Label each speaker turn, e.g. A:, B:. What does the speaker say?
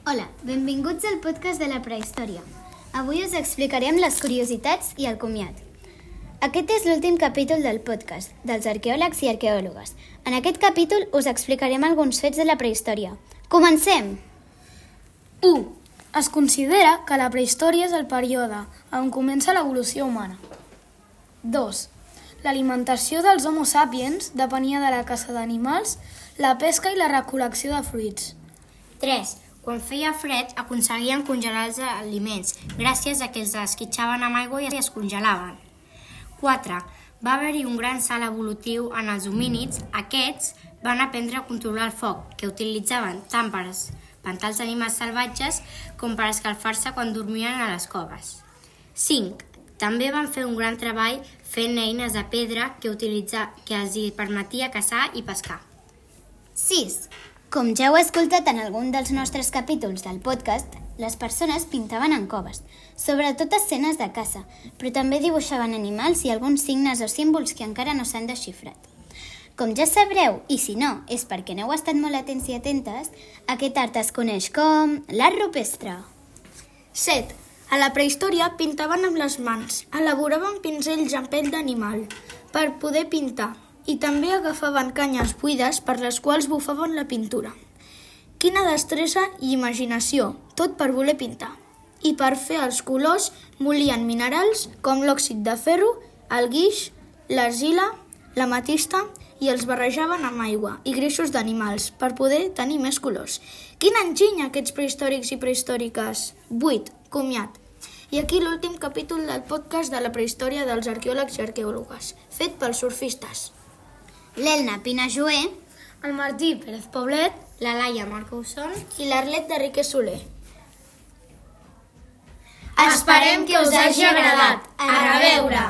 A: Hola, benvinguts al podcast de la prehistòria. Avui us explicarem les curiositats i el comiat. Aquest és l'últim capítol del podcast, dels arqueòlegs i arqueòlogues. En aquest capítol us explicarem alguns fets de la prehistòria. Comencem!
B: 1. Es considera que la prehistòria és el període on comença l'evolució humana. 2. L'alimentació dels Homo sapiens depenia de la caça d'animals, la pesca i la recol·lecció de fruits.
C: 3. Quan feia fred, aconseguien congelar els aliments, gràcies a que els esquitxaven amb aigua i es congelaven. 4. Va haver-hi un gran salt evolutiu en els homínids. Aquests van aprendre a controlar el foc, que utilitzaven tant per espantar els animals salvatges com per escalfar-se quan dormien a les coves. 5. També van fer un gran treball fent eines de pedra que els permetia caçar i pescar.
A: 6. Com ja heu escoltat en algun dels nostres capítols del podcast, les persones pintaven en coves, sobretot escenes de caça, però també dibuixaven animals i alguns signes o símbols que encara no s'han desxifrat. Com ja sabreu, i si no, és perquè n'heu estat molt atents i atentes, aquest art es coneix com l'art rupestre.
B: 7. A la prehistòria pintaven amb les mans, elaboraven pinzells amb pell d'animal per poder pintar i també agafaven canyes buides per les quals bufaven la pintura. Quina destresa i imaginació, tot per voler pintar. I per fer els colors molien minerals com l'òxid de ferro, el guix, l'argila, l'ametista i els barrejaven amb aigua i greixos d'animals per poder tenir més colors. Quin enginy aquests prehistòrics i prehistòriques! 8. Comiat. I aquí l'últim capítol del podcast de la prehistòria dels arqueòlegs i arqueòlogues, fet pels surfistes.
A: L'Elna Pinajoé,
B: El Martí Pérez Poblet,
C: La Laia Marcousson
B: i l'Arlet d'Enrique Soler.
C: Esperem que us hagi agradat. A reveure!